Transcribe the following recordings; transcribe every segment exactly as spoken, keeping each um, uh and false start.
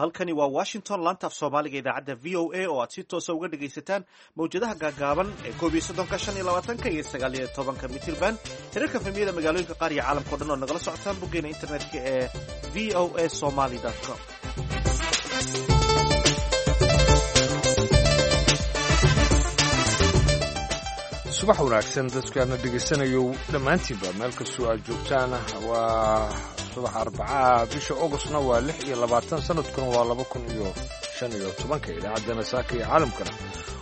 Halkani waa Washington, laanta af Soomaaliga idaacadda V O A oo aad si toosa uga dhegaysataan mawjadaha gaagaaban ee koob iyo soddonka, shan iyo labaatanka iyo sagaal iyo tobanka mitirban, tirarka F M-yada magaalooyinka qaar iyo caalamka o dhan oo nagala socotaan boggeena internetka ee V O A Somali com. Subax wanaagsan dadkaana dhegaysanayo dhammaantiinba, meel kastoo aad joogtaan. Waa subax Arbacaa, bisha Ogostna waa lix iyo labaatan, sanadkuna waa laba kun iyo shan iyo tobanka. Idaacaddana saaka iyo caalamkana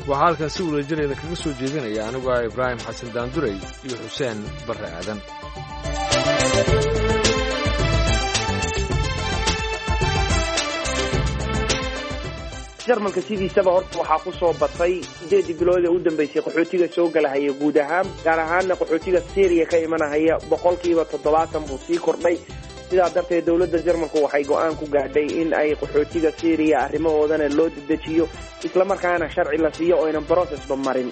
waxaa halkan si wadajireeda kaga soo jeedinaya anigu ah Ibraahim Xasan Daandurey iyo Xuseen Barre Aadan. Jarmalka sidiisaba horta waxaa ku soo batay sideedii bilood ee u dambeysay qaxootiga soo galahaya guud ahaan, gaar ahaanna qaxootiga Syriya ka imanahaya, boqolkiiba toddobaatan buu sii kordhay. Sidaa darteed dowladda Jarmalku waxay go-aan ku gaadhay in ay qaxootiga Syriya arrimahoodana loo dedejiyo, islamarkaana sharci la siiyo oo aynan processba marin.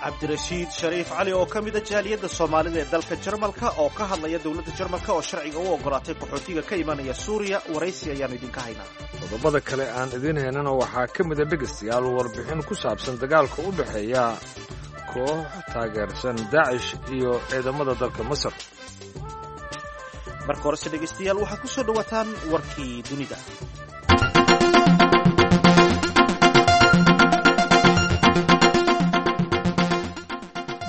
Cabdirashiid Shariif Cali oo ka mida jaaliyadda Soomaalida ee dalka Jarmalka oo ka hadlaya dowladda Jarmalka oo sharciga u ogolaatay qaxootiga ka imanaya Suuriya, waraysi ayaanu idinka haynaa. Qodobada kale aan idiin haynana waxaa ka mida, dhegaystayaal, warbixin ku saabsan dagaalka u dhexeeya koox taageersan Daacish iyo ciidamada dalka Masar. Marka horese, dhegaystayaal, waxaad ku soo dhowaataan warkii dunida.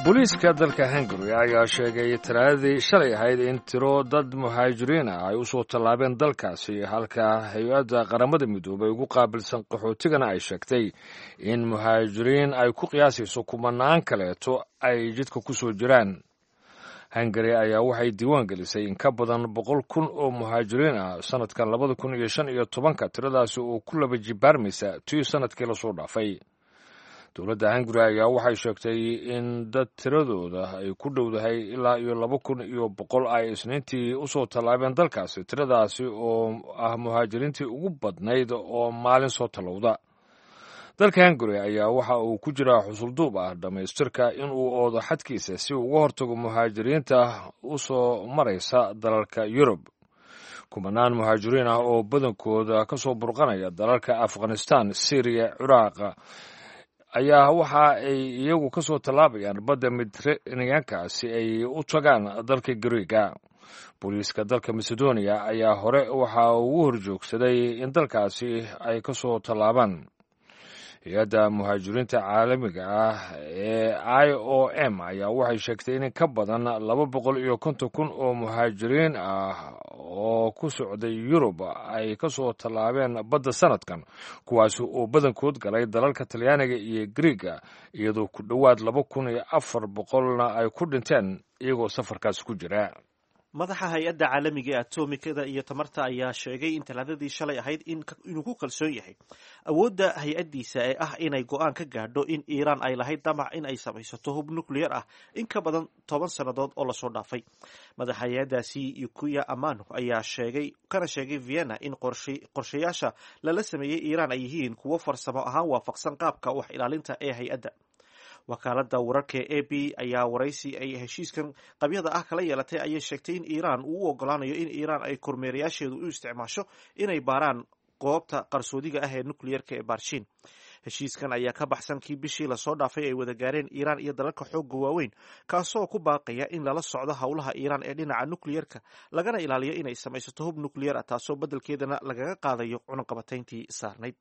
Booliiska dalka Hungary ayaa sheegay Talaadadii shalay ahayd in tiro dad muhaajiriin ah ay u soo tallaabeen dalkaasi, halka hay-adda Qaramada Midoobay ugu qaabilsan qaxootigana ay sheegtay in muhaajiriin ay ku qiyaasayso kumanaan kaleeto ay jidka ku soo jiraan. Hungary ayaa waxay diiwaan gelisay in ka badan boqol kun oo muhaajiriin ah sanadkan labada kun iyo shan iyo tobanka, tiradaasi oo ku laba jibaarmaysa tii sanadkii lasoo dhaafay. Dowladda Hungary ayaa waxay sheegtay in dad tiradooda ay ku dhowdahay ilaa iyo laba kun iyo boqol ay Isniintii usoo tallaabeen dalkaasi, tiradaasi oo ah muhaajiriintii ugu badnayd oo maalin soo tallowda. Dalka Hungary ayaa waxa uu ku jiraa xusulduub ah dhammaystirka in uu oodo xadkiisa si uu uga hortago muhaajiriinta u soo maraysa dalalka Yurub. Kumanaan muhaajiriin ah oo badankooda ka soo burqanaya dalalka Afghanistan, Syriya, Ciraaq ayaa waxa ay iyagu ka soo tallaabayaan badda Mediteraneanka si ay u tagaan dalka Gariiga. Booliiska dalka Macedonia ayaa hore waxa ugu horjoogsaday in dalkaasi ay ka soo tallaabaan. Hay-adda muhaajiriinta caalamiga ah ee I O M ayaa waxay sheegtay in ka badan laba boqol iyo konton kun oo muhaajiriin ah oo ku socday Yurub ay ka soo tallaabeen badda sanadkan, kuwaasi oo badankood galay dalalka Talyaaniga iyo Griiga, iyadoo ku dhowaad laba kun iyo afar boqolna ay ku dhinteen iyagoo safarkaasi ku jira. Madaxa hay-adda caalamiga ee atomikada iyo tamarta ayaa sheegay in Talaadadii shalay ahayd inuu ku kalsoon yahay awoodda hay-addiisa ee ah inay go-aan ka gaadho in Iiraan ay lahayd damac in ay samaysato hub nuclear ah in ka badan toban sannadood oo lasoo dhaafay. Madaxa hay-addaasi Yukiya Amano ayaa sheegay kana sheegay Vienna in qorshayaasha lala sameeyey Iiraan ay yihiin kuwo farsamo ahaan waafaqsan qaabka wax ilaalinta ee hay-adda. Wakaaladda wararka ee A P ayaa waraysi ay heshiiskan qabyada ah kala yeelatay ayay sheegtay in Iiraan uu u ogolaanayo in Iiraan ay kormeerayaasheedu u isticmaasho inay baaraan goobta qarsoodiga ah ee nuclearka ee Barshin. Heshiiskan ayaa ka baxsan kii bishii lasoo dhaafay ay wada gaareen Iiraan iyo dalalka xoogga waaweyn, kaasoo ku baaqaya in lala socdo howlaha Iiraan ee dhinaca nuclearka, lagana ilaaliyo inay samaysato hub nuclear ah, taasoo beddelkeedana lagaga qaadayo cunaqabatayntii saarnayd.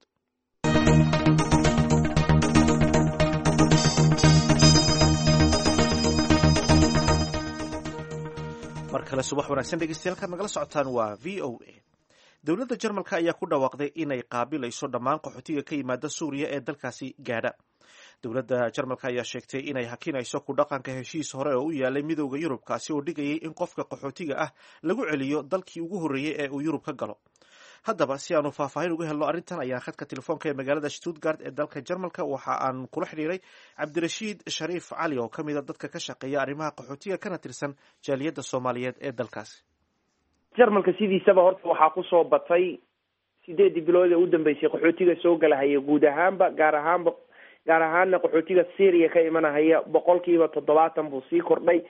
Mar kale subax wanaagsan, dhegeystayaal, kaad nagala socotaan waa V O A. Dowladda Jarmalka ayaa ku dhawaaqday inay qaabilayso dhammaan qaxootiga ka yimaada Suuriya ee dalkaasi gaadha. Dowladda Jarmalka ayaa sheegtay inay hakinayso ku dhaqanka heshiis hore oo u yaalay Midowda Yurub, kaasi oo dhigayay in qofka qaxootiga ah lagu celiyo dalkii ugu horreeyey ee uu Yurub ka galo. Haddaba, si aanu faahfaahin uga helno arrintan ayaa khadka telefoonka ee magaalada Stuttgart ee dalka Jarmalka waxa aan kula xidhiiray Cabdirashiid Shariif Cali oo ka mida dadka ka shaqeeya arrimaha qaxootiga kana tirsan jaaliyadda Soomaaliyeed ee dalkaasi. Jarmalka sidiisaba horta waxaa kusoo batay sideedii bilood ee u dambeysay qaxootiga soo galahaya guud ahaanba, gaar ahaanba gaar ahaanna qaxootiga Syriya ka imanahaya, boqolkiiba toddobaatan buu sii kordhay.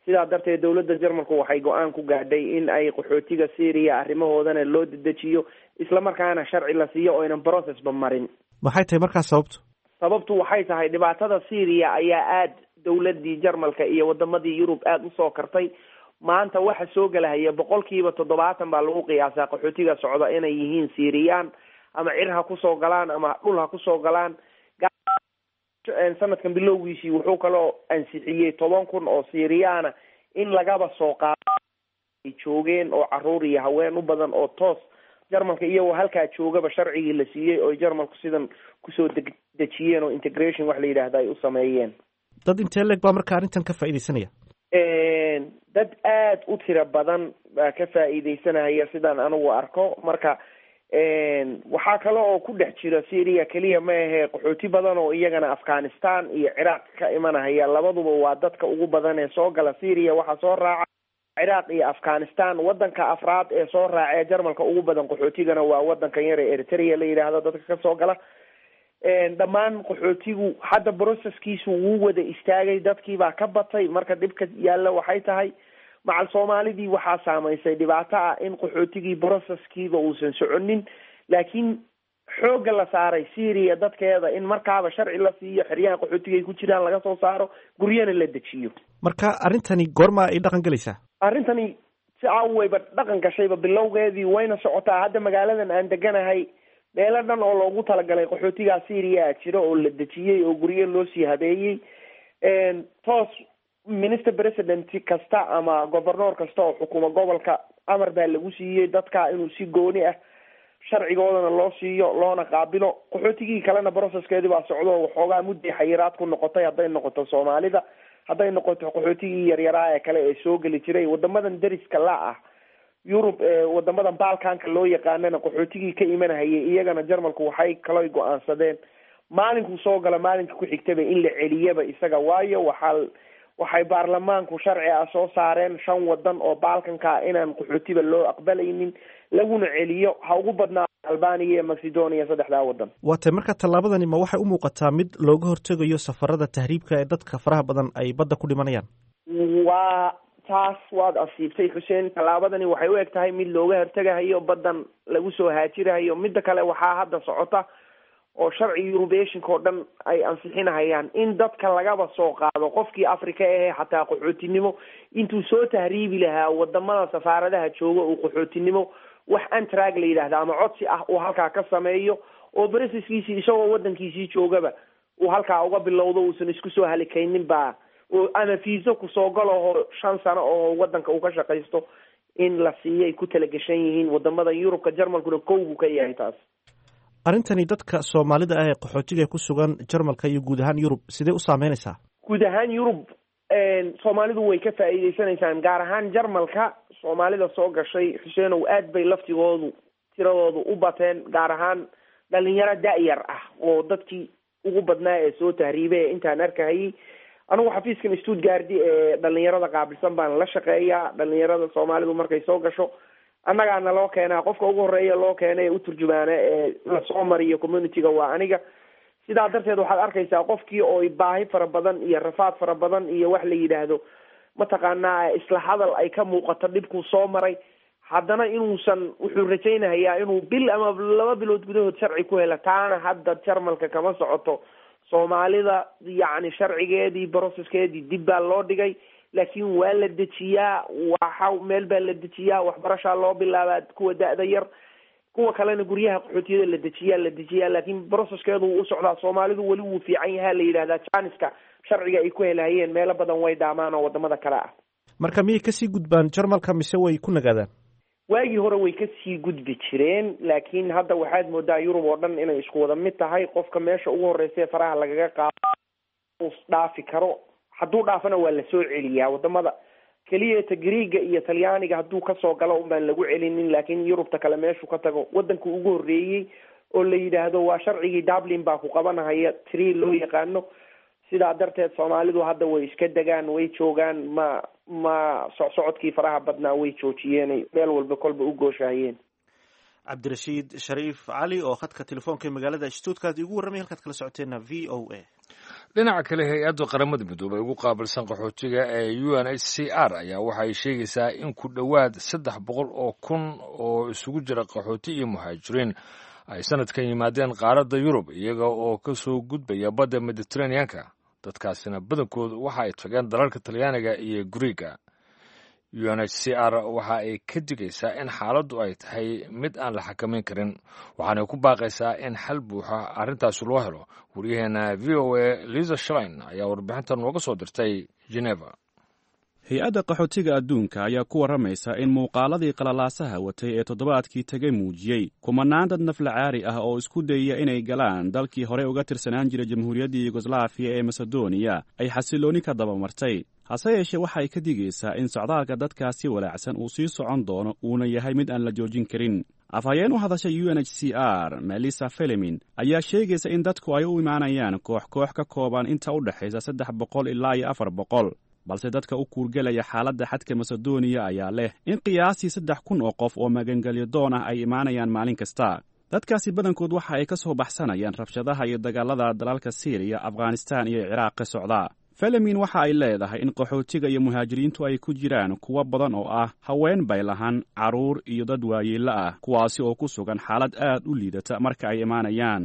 Sidaa darteed dowladda Jarmalku waxay go-aan ku gaadhay in ay qaxootiga Syria arrimahoodana loo dedejiyo, islamarkaana sharci la siiyo oynan processba marin. Maxay tahay markaas sababtu? Sababtu waxay tahay dhibaatada Syria ayaa aada dowladii Jarmalka iyo wadamadii Yurub aada usoo kartay. Maanta waxa soo gelahaya boqolkiiba toddobaatan baa lagu qiyaasaa qaxootiga socda inay yihiin Syrian, ama cir ha kusoo galaan ama dhul ha kusoo galaan. Sanadkan bilowgiisii wuxuu kaloo ansixiyey toban kun oo Syriana in lagaba soo qaado ay joogeen, oo caruur iyo haween u badan, oo toos Jarmalka iyagoo halkaa joogaba sharcigii la siiyey oo Jarmalku sidan kusoo dejiyeen oo integration wax la yidhaahda ay u sameeyeen. Dad intee leeg baa marka arrintan ka faa'iidaysanaya? Dad aada u tiro badan baa ka faa'iidaysanaya sidaan anigu arko. Marka waxaa kale oo ku dhex jira Syria keliya ma ahe, qaxooti badan oo iyagana Afghanistan iyo Ciraaq ka imanahaya. Labaduba waa dadka ugu badan ee soo gala Syria. Waxaa soo raaca Ciraaq iyo Afghanistan. Wadanka afraad ee soo raacee Jarmalka ugu badan qaxootigana waa wadankan yar ee Eritrea la yidhaahdo dadka kasoo gala. Dhammaan qaxootigu hadda processkiisu wuu wada istaagay, dadkiibaa ka batay. Marka dhibka yaalla waxay tahay macal Soomaalidii waxaa saamaysay dhibaato ah in qaxootigii processkiiba uusan soconin, laakiin xoogga la saaray Syria dadkeeda in markaaba sharci la siiyo, xeryaha qaxootiga ay ku jiraan laga soo saaro, guryana la dejiyo. Marka arrintani goorma ay dhaqan gelaysaa? Arrintani si caawayba dhaqan gashayba bilowgeedii wayna socotaa. Hadda magaaladan aan deganahay meelo dhan oo loogu talagalay qaxootigaa Syria jiro oo la dejiyey oo guryo loo sii habeeyey. Toos minister president kasta ama governoor kasta oo xukuma gobolka amar baa lagu siiyey dadka inuu si gooni ah sharcigoodana loo siiyo loona qaabilo. Qaxootigii kalena processkeedii baa socdo, waxoogaa mudday xayiraad ku noqotay, hadday noqoto Soomaalida, hadday noqoto qaxootigii yaryaraa ee kale ee soo geli jiray wadamadan deriska la ah Yurub, wadamadan Balkanka loo yaqaanana qaxootigii ka imanahayay iyagana Jarmalku waxay kaloo go-aansadeen maalinkuu soo gala maalinka ku xigtaba in la celiyaba isaga. Waayo waxaa waxay baarlamaanku sharci ah soo saareen shan wadan oo Balkanka inaan qaxootiba loo aqbalaynin laguna celiyo, ha ugu badnaa Albania iyo Macedonia, saddexdaa wadan. Waa tay marka tallaabadani ma waxay u muuqataa mid looga hortegayo safarada tahriibka ee dadka faraha badan ay badda ku dhimanayaan? Waa taas, waad asiibtay Xuseen. Tallaabadani waxay u eg tahay mid looga hortegahayo baddan lagu soo haajirahayo. Midda kale waxaa hadda socota oo sharci Eurubeshinka oo dhan ay ansixinahayaan in dadka lagaba soo qaado qofkii Africa ahe xataa qaxootinimo intuu soo tahriibi lahaa wadamada safaaradaha jooga uu qaxootinimo wax antrag la yidhaahda ama codsi ah uu halkaa ka sameeyo, oo bresiskiisii isagoo wadankiisii joogaba uu halkaa uga bilowdo, uusan isku soo halikaynin baa, ama fiiso kusoo galaho shan sano oo wadanka uu ka shaqaysto in la siiyay ku talagashan yihiin wadamada Yurubka. Jarmalkuna kow buu ka yahay taas. Arrintani dadka Soomaalida ah ee qaxootiga ku sugan Jarmalka iyo guud ahaan Yurub sidee u saameynaysaa? Guud ahaan Yurub Soomaalidu way ka faa'iideysanaysaan, gaar ahaan Jarmalka Soomaalida soo gashay Xuseenow aad bay laftigoodu tiradoodu u bateen, gaar ahaan dhalinyaro da-yar ah oo dadkii ugu badnaa ee soo tahriibay ee intaan arkahayay. Anigu xafiiskan Stuttgart ee dhalinyarada qaabilsan baan la shaqeeyaa. Dhalinyarada Soomaalidu markay soo gasho annagaana loo keenaa, qofka ugu horeeya loo keenay ee u turjumaana ee lasoo mariyo community-ga waa aniga. Sidaa darteed waxaad arkaysaa qofkii oo baahi fara badan iyo rafaad fara badan iyo wax la yidhaahdo mataqaanaa isla hadal ay ka muuqato dhibkuu soo maray, haddana inuusan wuxuu rajaynahayaa inuu bil ama laba bilood gudahood sharci ku helo. Taana hadda Jarmalka kama socoto. Soomaalida yacni sharcigeedii processkeedii dib baa loo dhigay, laakiin waa la dejiyaa, waxa meel baa la dejiyaa, waxbarashaa loo bilaabaa kuwa da-da yar, kuwa kalena guryaha qaxootiyada la dejiyaa la dejiyaa laakiin processkeedu wuu u socdaa. Soomaalidu weli wuu fiican yahaa la yidhahdaa, janiska sharciga ay ku helahayeen meelo badan way dhaamaan oo wadamada kale ah. Marka miyay kasii gudbaan Jarmalka mise way ku nagaadaan? Waagii hore way kasii gudbi jireen, laakiin hadda waxaad moodaa Yurub oo dhan inay isku wada mid tahay. Qofka meesha ugu horeysa faraha lagaga qaado dhaafi karo, hadduu dhaafana waa lasoo celiyaa. Wadamada keliya ta Greega iyo Talyaaniga hadduu kasoo galo un baan lagu celinin, laakiin Yurubta kale meeshuu ka tago wadanku ugu horreeyey oo la yidhaahdo waa sharcigii Dublin baa ku qabanahaya tree loo yaqaano. Sidaa darteed Soomaalidu hadda way iska degaan, way joogaan, ma ma socsocodkii faraha badnaa way joojiyeen, meel walba kolba u gooshahayeen. Cabdirashiid Shariif Cali oo khadka telefoonka ee magaalada Stuttgart igu warramay, halkaad kala socoteena V O A. Dhinaca kale, hay-adda Qaramada Midoobay ugu qaabilsan qaxootiga ee U N H C R ayaa waxay sheegaysaa in ku dhowaad saddex boqol oo kun oo isugu jira qaxooti iyo muhaajiriin ay sanadkan yimaadeen qaaradda Yurub, iyaga oo ka soo gudbaya badda Mediteraneanka. Dadkaasina badankoodu waxa ay tageen dalalka Talyaaniga iyo Guriiga. U N H C R waxa ay ka digaysaa in xaaladdu ay tahay mid aan la xakamayn karin, waxaanay ku baaqaysaa in xal buuxa arrintaasi loo helo. Waryaheena V O A Lisa Schlein ayaa warbixintan nooga soo dirtay Geneva. Hay-adda qaxootiga adduunka ayaa ku warramaysa in muuqaaladii qalalaasaha watay ee toddobaadkii tegay muujiyey kumanaan dad naflacaari ah oo isku dayaya inay galaan dalkii horey uga tirsanaan jiray jamhuuriyaddii Yugoslaafiya ee Masedoniya ay xasillooni ka dabamartay. Hase yeeshee, waxay ka digaysaa in socdaalka dadkaasi walaacsan uu sii socon doono, uuna yahay mid aan la joojin karin. Afhayeen u hadashay U N H C R, Melissa Felemin, ayaa sheegaysa in dadku ay u imaanayaan koox koox ka kooban inta u dhexaysa saddex boqol ilaa iyo afar boqol, balse dadka u kuurgelaya xaaladda xadka Masedoniya ayaa leh in qiyaastii saddex kun oo qof oo magangelyo doon ah ay imaanayaan maalin kasta. Dadkaasi badankood waxa ay ka soo baxsanayaan rabshadaha iyo dagaalada dalalka Siiriya, Afghanistaan iyo Ciraaq ka socda. Felemin waxa ay leedahay in qaxootiga iyo muhaajiriintu ay ku jiraan kuwo badan oo ah haween baylahan, carruur iyo dad waayeello ah, kuwaasi oo ku sugan xaalad aad u liidata marka ay imaanayaan.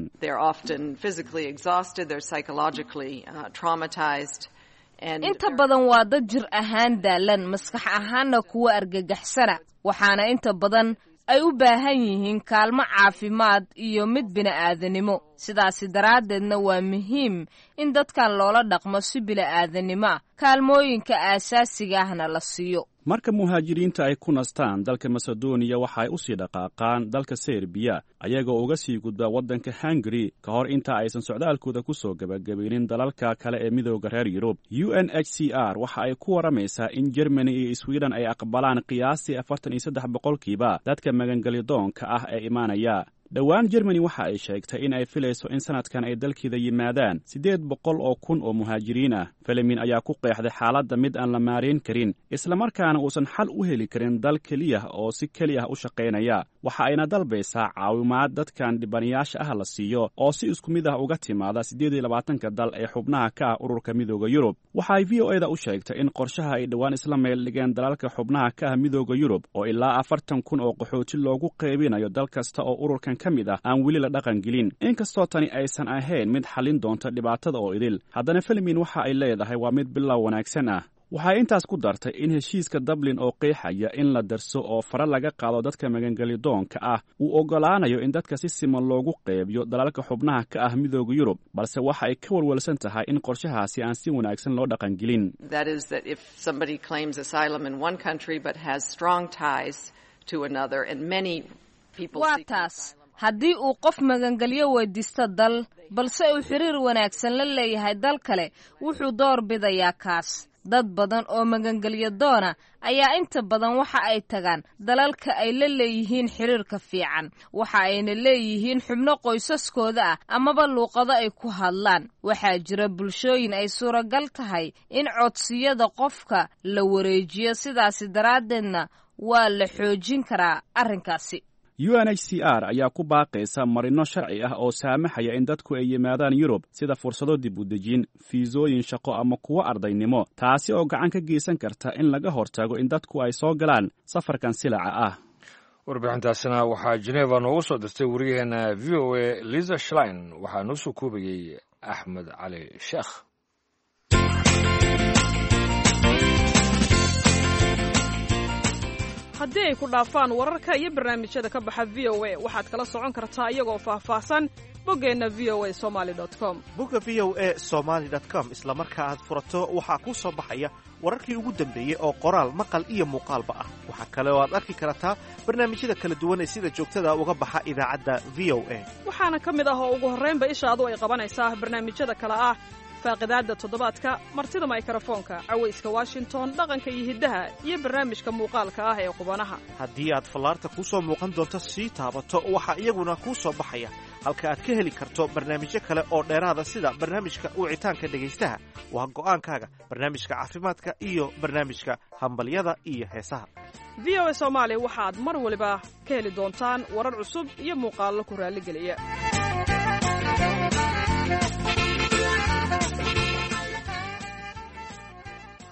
Inta badan waa dad jir ahaan daalan, maskax ahaanna kuwa argagaxsana, waxaana inta badan ay u baahan yihiin kaalmo caafimaad iyo mid bini'aadanimo. Sidaasi daraaddeedna waa muhiim in dadkan loola dhaqmo si bili'aadanimo ah, kaalmooyinka aasaasiga ahna la siiyo. Marka muhaajiriinta ay ku nastaan dalka Masedoniya, waxa ay u sii dhaqaaqaan dalka Serbiya, ayagoo uga sii gudba waddanka Hungari ka hor inta aysan socdaalkooda ku soo gebagabaynin dalalka kale ee Midooda reer Yurub. U N H C R waxa ay ku warramaysaa in Germany iyo Sweden ay aqbalaan qiyaastii afartan iyo saddex boqolkiiba dadka magangelyadoonka ah ee imaanaya. Dhowaan Germany waxa ay sheegtay in ay filayso in sanadkan ay dalkeeda yimaadaan siddeed boqol oo kun oo muhaajiriin ah. Felemin ayaa ku qeexday xaaladda mid aan la maarayn karin, islamarkaana uusan xal u heli karin dal keliya oo si keli ah u shaqaynaya. Waxa ayna dalbaysaa caawimaad dadkan dhibanayaasha ah la siiyo oo si isku mid ah uga timaada siddeed iyo labaatanka dal ee xubnaha ka ah ururka Midooda Yurub. Waxa ay V O A da u sheegtay in qorshaha ay dhowaan isla meel dhigeen dalalka xubnaha ka ah Midooda Yurub oo ilaa afartan kun oo qaxooti loogu qaybinayo dal kasta oo ururkan ka mid ah aan weli la dhaqan gelin. Inkastoo tani aysan ahayn mid xallin doonta dhibaatada oo idil, haddana Felemin waxa ay leedahay waa mid bilow wanaagsan ah. Waxay intaas ku dartay in heshiiska Dublin oo qeexaya in la darso oo fara laga qaado dadka magangelyadoonka ah uu oggolaanayo in dadka si siman loogu qeybiyo dalalka xubnaha ka ah Midooda Yurub, balse waxa ay ka walwalsan tahay in qorshahaasi aan si wanaagsan loo dhaqangelin. Waa taas, haddii uu qof magangelyo weydiisto dal, balse uu xiriir wanaagsan la leeyahay dal kale, wuxuu door bidayaa kaas. Dad badan oo magangelyo doona ayaa inta badan waxa ay tagaan dalalka ay la leeyihiin xiriirka fiican, waxa ayna leeyihiin xubno qoysaskooda ah amaba luuqado ay ku hadlaan. Waxaa jira bulshooyin ay suuragal tahay in codsiyada qofka la wareejiyo, sidaasi daraaddeedna waa la xoojin karaa arrinkaasi. U N H C R ayaa ku baaqaysa marino sharci ah oo saamaxaya in dadku ay yimaadaan Yurub, sida fursado dib u dejin, fiisooyin shaqo ama kuwo ardaynimo, taasi oo gacan ka geysan karta in laga hortago in dadku ay soo galaan safarkan silaca ah. Warbixintaasina waxaa Geneva noogu soo dirtay wariyaheena V O A Lisa Schlein, waxaa noo soo koobayey Axmed Cali Sheekh. Haddii ay ku dhaafaan wararka iyo barnaamijyada ka baxa V O A, waxaad kala socon kartaa iyagoo faahfaahsan boggeenna V O A Somali com. Bogga V O A Somaly com isla marka aad furato waxaa kuu soo baxaya wararkii ugu dambeeyey oo qoraal, maqal iyo muuqaalba ah. Waxaa kale oo aad arki kartaa barnaamijyada kala duwan ee sida joogtada uga baxa idaacadda V O A. Waxaana ka mid ah oo ugu horraynba ishaadu ay qabanaysaa barnaamijyada kale ah faaqidaadda toddobaadka, martida maykarafoonka, cawayska Washington, dhaqanka iyo hiddaha, iyo barnaamijka muuqaalka ah ee qubanaha. Haddii aad fallaarta kuu soo muuqan doonto sii taabato, waxaa iyaguna kuu soo baxaya Halka aad ka heli karto barnaamijyo kale oo dheeraada sida barnaamijka wicitaanka dhegaystaha, waa go'aankaaga, barnaamijka caafimaadka iyo barnaamijka hambalyada iyo heesaha. V O A Soomaali waxaad mar waliba ka heli doontaan warar cusub iyo muuqaallo ku raalligeliya.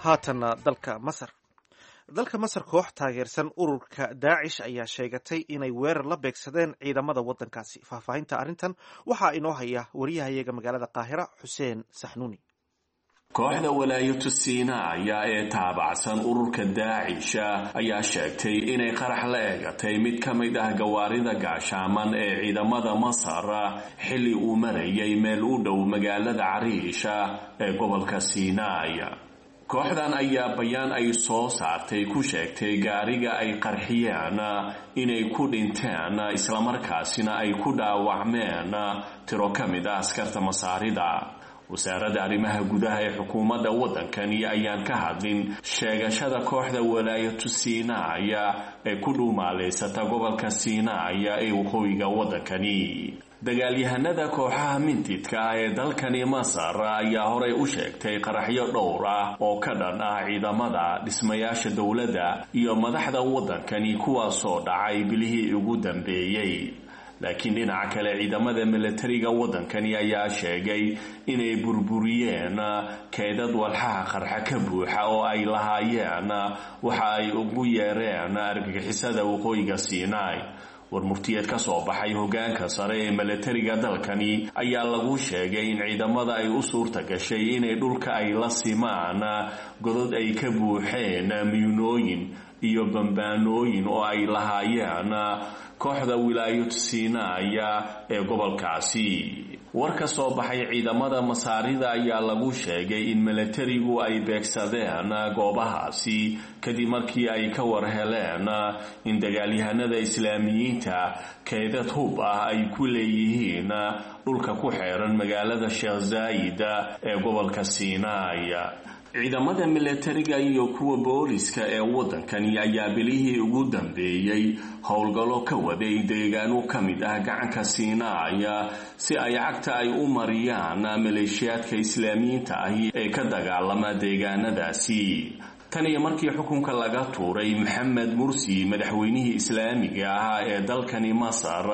Haatanna dalka Masar. Dalka Masar, koox taageersan ururka Daacish ayaa sheegatay inay weerar la beegsadeen ciidamada waddankaasi. Faahfaahinta arrintan waxaa inoo haya wariyahayaga magaalada Qaahira, Xuseen Saxnuuni. Kooxda Walaayatu Siinaaya ee taabacsan ururka Daacisha ayaa sheegtay inay qarax la eegatay mid ka mid ah gawaarida gaashaaman ee ciidamada Masar xilli uu marayay meel u dhow magaalada Cariisha ee gobolka Siinaaya. Kooxdan ayaa bayaan ay soo saartay ku sheegtay gaariga ay qarxiyeen inay ku dhinteen islamarkaasina ay ku dhaawacmeen tiro ka mid ah askarta Masaarida. Wasaaradda arrimaha gudaha ee xukuumadda waddankani ayaan ka hadlin sheegashada kooxda Walaayatu Siinaaya ee ku dhuumaaleysata gobolka Siinaaya ee waqooyiga waddankani. Dagaalyahanada kooxaha mintidka ah ee dalkani Masar ayaa horey u sheegtay qaraxyo dhowr ah oo ka dhan ah ciidamada, dhismayaasha dowladda iyo madaxda waddankani, kuwaasoo dhacay bilihii ugu dambeeyey. Laakiin dhinaca kale, ciidamada milatariga waddankani ayaa sheegay inay burburiyeen keydad walxaha qarxa ka buuxa oo ay lahaayeen waxa ay ugu yeereen argagixisada waqooyiga Siinaai. Warmurtiyeed ka soo baxay hoggaanka sare ee milatariga dalkani ayaa lagu sheegay in ciidamada ay u suurta gashay inay dhulka ay la simaan godod ay ka buuxeen miyunooyin iyo bambaanooyin oo ay lahaayeen kooxda Wilaayad Siinaaya ee gobolkaasi. War ka soo baxay ciidamada Masaarida ayaa lagu sheegay in milatarigu ay beegsadeen goobahaasi kadib markii ay ka war heleen in dagaalyahanada Islaamiyiinta keydad hub ah ay ku leeyihiin dhulka ku xeeran magaalada Sheekh Zaayid ee gobolka Siinaaya. Ciidamada milatariga iyo kuwa booliska ee waddankani ayaa bilihii ugu dambeeyey howlgallo ka waday deegaano ka mid ah gacanka Siinaaya si ay cagta ay u mariyaan maleeshiyaadka Islaamiyiinta ahi ee ka dagaalama deegaanadaasi. Tan iyo markii xukunka laga tuuray Maxamed Mursi, madaxweynihii Islaamiga ahaa ee dalkani Masar,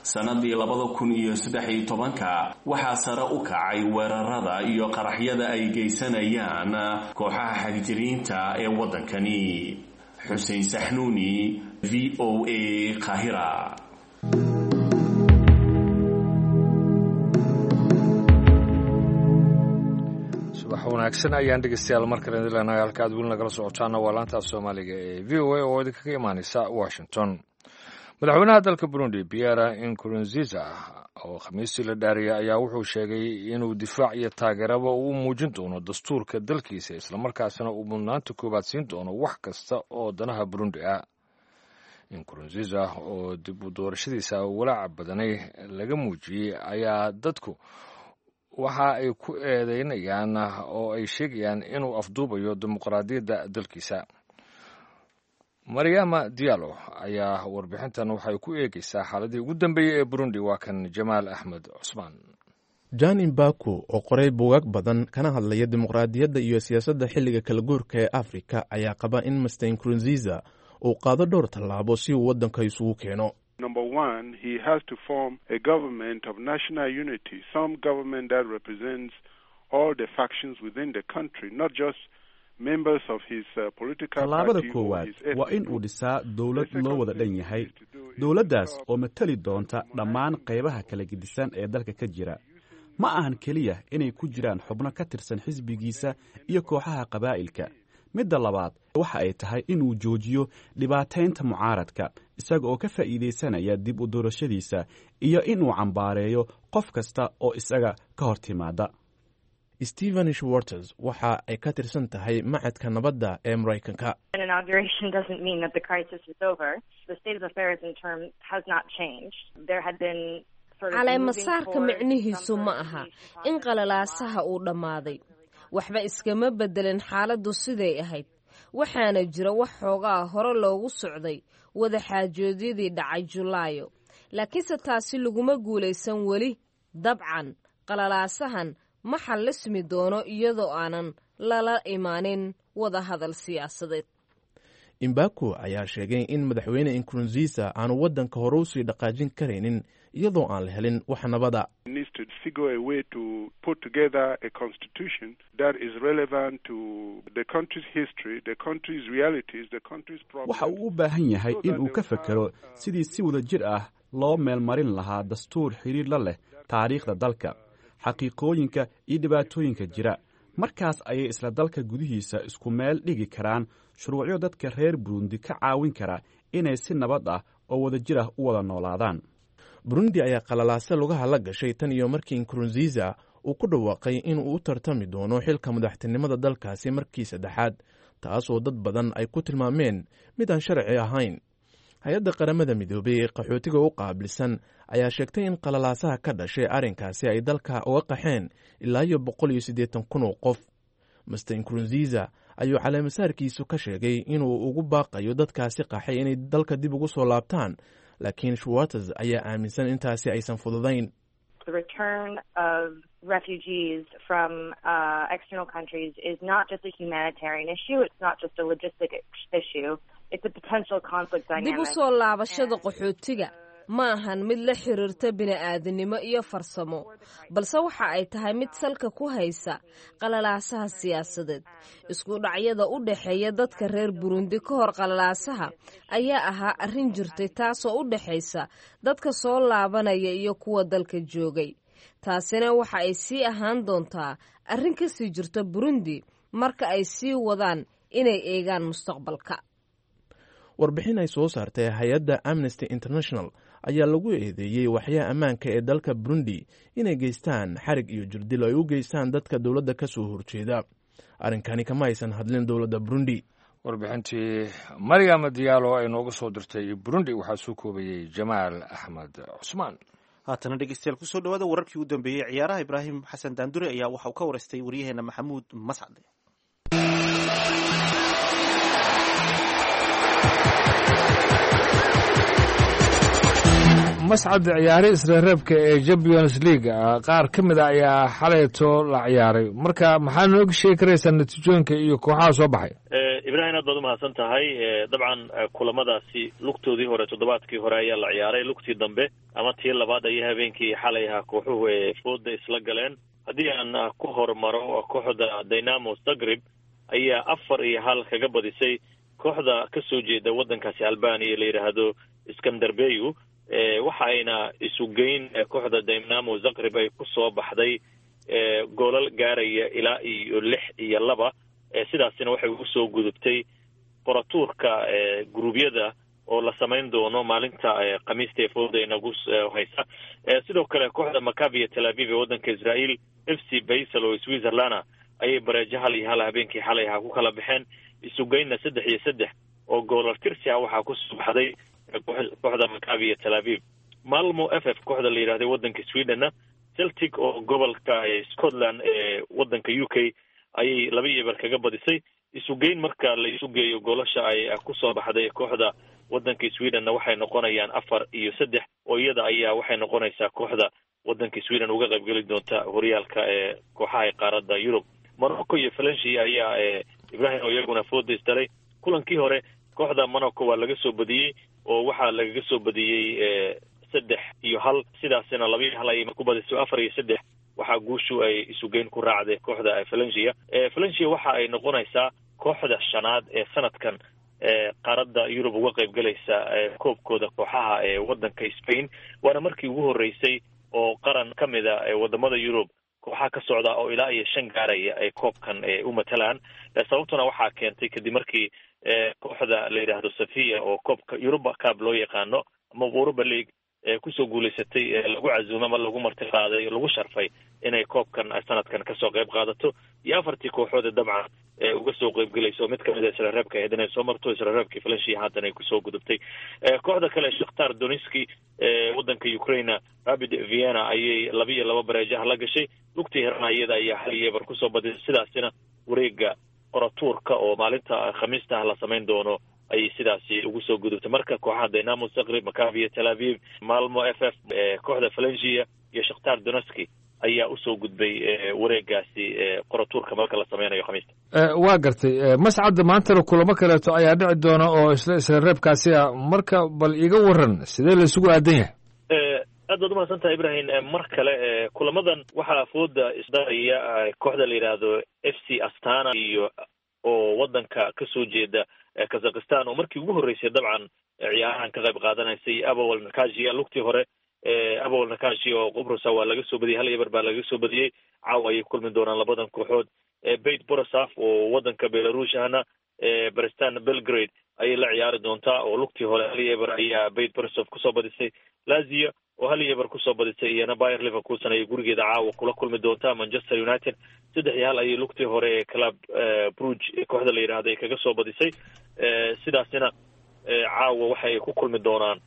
sanadii labada kun iyo saddex iyo tobanka, waxaa sare u kacay weerarada iyo qaraxyada ay geysanayaan kooxaha xagjiriinta ee waddankani. Xuseen Saxnuuni, V O A, Qaahira. Subax wanaagsan ayaan dhegeystayaal mar kale idin leenahay. Halka aad weli nagala socotaana waa laanta af Soomaaliga ee V O A oo idinkaga imaaneysa Washington. Madaxweynaha dalka Burundi, Pierre Nkurunziza, oo Khamiistii la dhaariyay, ayaa wuxuu sheegay inuu difaac iyo taageeraba uu muujin doono dastuurka dalkiisa, islamarkaasina uu mudnaanta koowaad siin doono wax kasta oo danaha Burundi ah. Nkurunziza oo dib u doorashadiisa walaaca badanay laga muujiyey ayaa dadku waxa ay ku eedeynayaan oo ay sheegayaan inuu afduubayo dimuqraadiyadda dalkiisa. Maryama Diallo ayaa warbixintan waxay ku eegeysaa xaaladii ugu dambeeyey ee Burundi. Waa kan Jamaal Axmed Cusmaan. Jan Imbaku oo qoray buugaag badan kana hadlaya dimuqraadiyadda iyo siyaasadda xilliga kala guurka ee Afrika ayaa qaba in Mister Nkurunziza uu qaado dhowr tallaabo si uu waddanka isugu keeno. Number one, he has to form a government of national unity, some government that represents all the factions within the country, not just members of his uh, political Tallaabada party or koowaad his ethnic waa in uu group. dhisaa dowlad loo wada dhan yahay, dowladdaas oo matali doonta dhammaan qaybaha kala gedisan ee dalka ka jira. Ma ahan keliya inay ku jiraan xubno ka tirsan xisbigiisa iyo kooxaha qabaa'ilka. Midda labaad waxa ay tahay inuu joojiyo dhibaataynta mucaaradka isaga oo ka faa'iidaysanaya dib u doorashadiisa, iyo inuu cambaareeyo qof kasta oo isaga ka hor timaada. Stephen Schwartz waxa ay ka tirsan tahay Macadka Nabadda ee Maraykanka. An inauguration doesn't mean that the crisis is over. The state of affairs in terms has not changed. There had been sort of moving Caleemasaarka towards micnihiisu some ma sort of aha peace in process. qalalaasaha uu dhammaaday. Waxba iskama beddelin xaaladdu siday ahayd, waxaana jira wax xoogaa hore loogu socday wada xaajoodyadii dhacay Julaayo, Laakiinse taasi laguma guulaysan weli. Dabcan qalalaasahan ma xallismi doono iyadoo aanan lala imaanin wada hadal siyaasadeed. Imbako ayaa sheegay in madaxweyne Nkurunziisa aanu waddanka hore usii dhaqaajin karaynin iyadoo aan la helin wax nabada. Needs to figure a way to put together a constitution that is relevant to the country's history, the country's realities, the country's problems. Waxa uu u baahan yahay in uu ka fekero sidii si wada jir ah loo meelmarin lahaa dastuur xidhiir la leh taariikhda dalka, xaqiiqooyinka iyo dhibaatooyinka jira. Markaas ayay isla dalka gudihiisa isku meel dhigi karaan shuruucyo dadka reer Burundi ka caawin kara inay si nabad ah oo wadajir ah u wada noolaadaan. Burundi ayaa qalalaase lugaha la gashay tan iyo markii Nkurunziisa uu ku dhawaaqay inuu u tartami doono xilka madaxtinimada dalkaasi markii saddexaad, taasoo dad badan ay ku tilmaameen mid aan sharci ahayn. Hay-adda Qaramada Midoobey ee qaxootiga u qaabilsan ayaa sheegtay in qalalaasaha ka dhashay arrinkaasi ay dalka uga qaxeen ilaa iyo boqol iyo siddeetan kun oo qof. Mister Nkurunziisa ayuu caleemasaarkiisu ka sheegay inuu ugu baaqayo dadkaasi qaxay inay dalka dib ugu soo laabtaan, laakiin Schwartz ayaa aaminsan intaasi aysan fududayn. The return of refugees from uh, external countries is not just a humanitarian issue. It's not just a logistic issue. It's a potential conflict dynamic. Dib u soo laabashada qaxootiga ma ahan mid la xiriirta bini'aadanimo iyo farsamo, balse waxa ay tahay mid salka ku haysa qalalaasaha siyaasadeed. Isku dhacyada u dhexeeya dadka reer Burundi ka hor qalalaasaha ayaa ahaa arrin jirtay, taasoo u dhexaysa dadka soo laabanaya iyo kuwa dalka joogay. Taasina waxa ay sii ahaan doontaa arrin ka sii jirta Burundi marka ay sii wadaan inay eegaan mustaqbalka. Warbixin ay soo saartay hay-adda Amnesty International ayaa lagu eedeeyey waxyaha ammaanka ee dalka Burundi inay geystaan xarig iyo jirdil ay u geystaan dadka dowladda ka soo horjeeda. Arrinkani kama aysan hadlin dowladda Burundi. Warbixintii Maryam Diyaalo ay nooga soo dirtay Burundi waxaa soo koobayey Jamaal Axmed Cusmaan. Haatana dhegeystayaal, kusoo dhawaada wararkii u dambeeyey ciyaaraha. Ibraahim Xasan Daandure ayaa waxa uu ka waraystay waryaheena Maxamuud Mascade. Mascad, ciyaari isreereebka ee Champions League qaar ka mid a ayaa xalayto la ciyaaray. Marka maxaa nooga sheegi karaysaa natiijooyinka iyo kooxaha soo baxay? Ibraahim, aad baad umahadsan tahay. Dabcan kulamadaasi lugtoodii hore toddobaadkii hore ayaa la ciyaaray. Lugtii dambe ama tii labaad ayay habeenkii xalay ahaa kooxuhu ee fooda isla galeen. Haddii aan ku hormaro, kooxda Dynamo Zagreb ayaa afar iyo hal kaga badisay kooxda ka soo jeeda waddankaasi Albania la yidhaahdo Skanderbeyu. Waxa ayna isugeyn kooxda Dynamo Zagreb ay ku soo baxday goolal gaaraya ilaa iyo lix iyo laba. Sidaasina waxay ugu soo gudubtay qoratuurka guruubyada oo la samayn doono maalinta Khamiista ee fooda inagu haysa. Sidoo kale kooxda Maccabi Tel Aviv ee waddanka Israel F C Basel oo Switzerlanda ayay bareejo hal iyo hal habeenkii xalay ahaa ku kala baxeen. Isugeynna saddex iyo saddex oo goolal tirsi ah waxaa kusoo baxday kooxda Maccabi Tel Aviv. Malmo F F kooxda la yidhahday waddanka Swedenna Celtic oo gobolka Scotland ee waddanka U K ayay laba iyo eber kaga badisay. Isugeyn marka la isu geeyo goolasha ay kusoo baxday kooxda waddanka Swedenna waxay noqonayaan afar iyo saddex, oo iyada ayaa waxay noqonaysaa kooxda waddanka Sweden uga qaybgeli doonta horyaalka ee kooxaha qaaradda Yurub. Monaco iyo Valencia ayaa, Ibrahim, oo iyaguna fooda isdaray. Kulankii hore kooxda Monaco waa laga soo badiyey, oo waxaa lagaga soo badiyey saddex iyo hal. Sidaasina laba iyo hal ayay ku badiso. Afar iyo saddex waxaa guushu ay isugeyn ku raacday kooxda Valencia. Valencia waxa ay noqonaysaa kooxda shanaad ee sanadkan qaaradda Yurub uga qaybgalaysa koobkooda kooxaha ee waddanka Spain, waana markii ugu horreysay oo qaran ka mida wadamada Yurub kooxaha ka socda oo ilaa iyo shan gaaraya ay koobkan u matalaan. Sababtuna waxaa keentay kadib markii kooxda la yidhaahdo Sevilla oo koobka Europa Cup loo yaqaano ama Europa League kusoo guulaysatay lagu casuumay ama lagu marti qaaday, lagu sharfay inay koobkan sanadkan kasoo qayb qaadato, iyo afartii kooxood dabcan uga soo qaybgelayso mid kamid a israreebka ahayd inay soo marto israreebkii Valencia haatan ay kusoo gudubtay. Kooxda kale Shakhtar Donetsk waddanka Ukraine Rapid Vienna ayay laba iyo laba bareejaha la gashay. Lugtii hirana iyada ayaa hal iyo eber kusoo badisay, sidaasina wareega qoratuurka oo maalinta Khamiista ah la samayn doono ayay sidaasi ugu soo gudubtay. Marka kooxaha Dynamo Zagreb, Maccabi Tel Aviv, Malmo F F, kooxda Valencia iyo Shakhtar Donetsk ayaa usoo gudbay wareegaasi qoratuurka marka la sameynayo Khamiista. Waa gartay, Mascadda, maantana kulamo kaleeto ayaa dhici doona oo isla isla reebkaasi ah. Marka bal iga waran sidee la isugu aadan yahay? Aad baad umahadsan tahay, Ibrahim. Mar kale kulamadan waxaa fooda isdaraya kooxda la yidhaahdo F C Astana iyo oo wadanka kasoo jeeda Kazakhstan, oo markii ugu horreysay dabcan ciyaarahan ka qayb qaadanaysay, Abowal Nakasia. Lugtii hore Abowal Nakashi oo Qubrusa waa laga soo badiyey, hal eber baa laga soo badiyey. Caawa ayay kulmi doonaan labadan kooxood. Beit Borosaf oo wadanka Belarush ahna Brestan Belgrade ayay la ciyaari doontaa, oo lugtii hore hal eber ayaa Beit Borosaf kusoo badisay. Lazio oo hal eber kusoo badisay iyana Bayer Leverkusen ayay gurigeeda caawa kula kulmi doontaa. Manchester United saddex iyo hal ayay lugtii hore ee Club Brugge kooxda la yidhaahdo ay kaga soo badisay. Sidaasina caawa waxay ku kulmi doonaan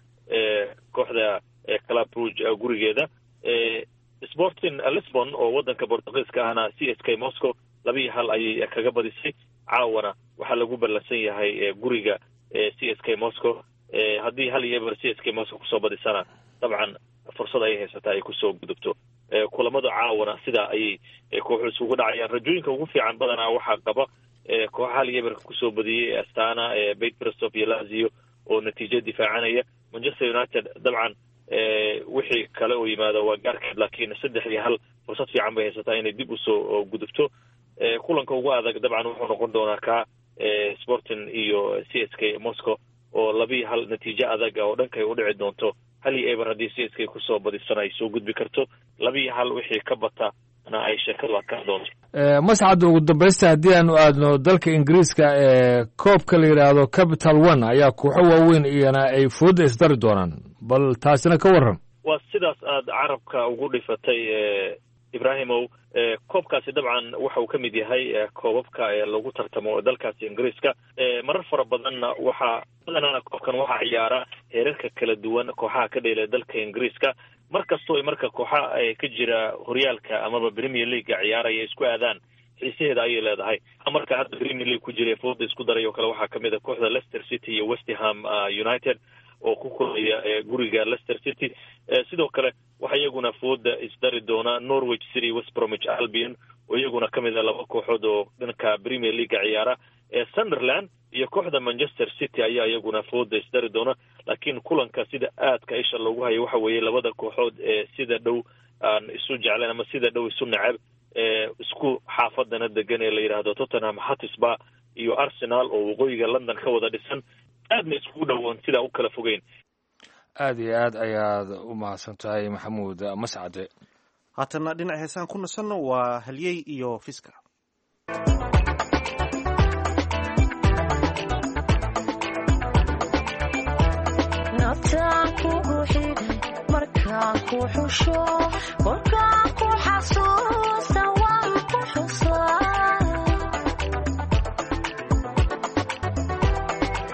kooxda Club Brugge gurigeeda. Sporting Lisbon oo wadanka Portugiiska ahna C S K Moscow laba iyo hal ayay kaga badisay. Caawana waxaa lagu ballansan yahay guriga C S K Moscow. Haddii hal iyo eber C S K Moscow kusoo badisana, dabcan fursad ayay haysataa ay kusoo gudubto. Kulamada caawana sidaa ayay kooxu isugu dhacayaan. Rajooyinka ugu fiican badanaa waxaa qaba kooxa hal iyo eberka kusoo badiyey, Astana, Beit Brestov iyo Lazio oo natiijo difaacanaya. Manchester United dabcan wixii kale oo yimaada waa gaarkeed, laakiin saddex iyo hal fursad fiican bay haysataa inay dib usoo gudubto. Kulanka ugu adag dabcan wuxuu noqon doonaa ka Sporting iyo C S K Moscow oo labiiyo hal natiijo adag oo dhankay u dhici doonto. Hal iyo eber haddii C S K kusoo badisana ay soo gudbi karto, labiiyo hal wixii ka bata na ay sheekadu adkaan doonto. Mascadda, ugu dambaysta haddii aanu aadno dalka Ingiriiska, ee koobka la yidhaahdo Capital One ayaa kooxo waaweyn iyana ay fooda isdari doonaan, bal taasina ka warran. Waa sidaas aad carabka ugu dhifatay, Ibrahimow. Koobkaasi dabcan waxa uu ka mid yahay koobabka lagu tartamo dalkaasi Ingiriiska. Marar fara badanna waxaa badanana koobkan waxaa ciyaara heerarka kala duwan kooxaha ka dheela dalka Ingiriiska. Mar kastoo marka kooxa ka jira horyaalka amaba Premier Leaguega ciyaaraya isku aadaan, xiisaheeda ayay leedahay. Marka hadda Premier League ku jira fooda isku daray oo kale waxaa kamid a kooxda Leicester City iyo West Ham United oo ku kulmaya guriga Leicester City. Sidoo kale waxaa iyaguna fooda isdari doona Norwich City, West Bromwich Albion oo iyaguna kamid a laba kooxood oo dhanka Premier Leaguega ciyaara. Sunderland iyo kooxda Manchester City ayaa iyaguna fooda isdari doona. Laakiin kulanka sida aadka isha loogu hayo waxa weeye labada kooxood ee sida dhow aan isu jecleen ama sida dhow isu neceb, isku xaafadana degan, ee la yidhaahdo Tottenham Hotspur iyo Arsenal oo waqooyiga London ka wada dhisan, aadna iskugu dhowoon sidaa u kala fogeyn. Aad iyo aad ayaad u mahadsan tahay, Maxamuud Mascade. Haatanna dhinaca heesaan ku nasanno, waa Halyey iyo Fiska. Naftaan kugu xidhay markaan ku xusho, kolkaan ku xasuusta waan ku xusaa.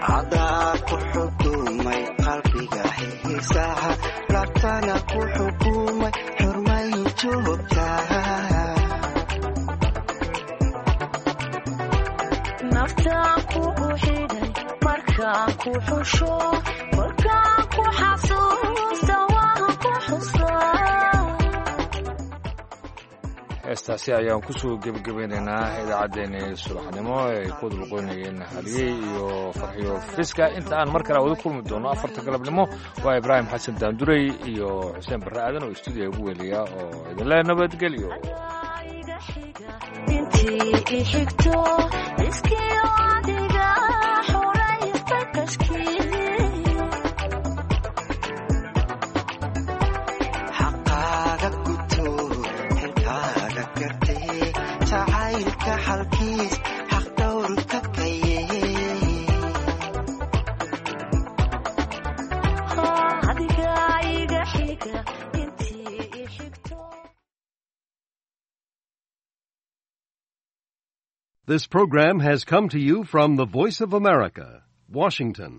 Cadaa ku xukumay qalbiga xiisaha, laabtana ku xukumay xurmay joogtaa. Naftaan kugu xidhay markaan ku xusho, kolkaan ku xasuusta waan ku xusaa. Heestaasi ayaan kusoo gebagabaynaynaa idaacaddeenii subaxnimo ay ku wadalqoynayeen Haliyey iyo Farxiyo Fiska. Inta aan mar kale wada kulmi doono afarta galabnimo, waa Ibraahim Xasan Daandurey iyo Xuseen Barre Aadan oo stuudiya ugu weliya oo idinle nabadgelyo. Intii i xigto iskiyo adiga xoraysta kashkii. Xaqaaga guto, xilkaaga gartee, jacaylka xalkiis xaq dhowrka kaye. Adiga iga xiga intii i xigto. This program has come to you from the Voice of America, Washington.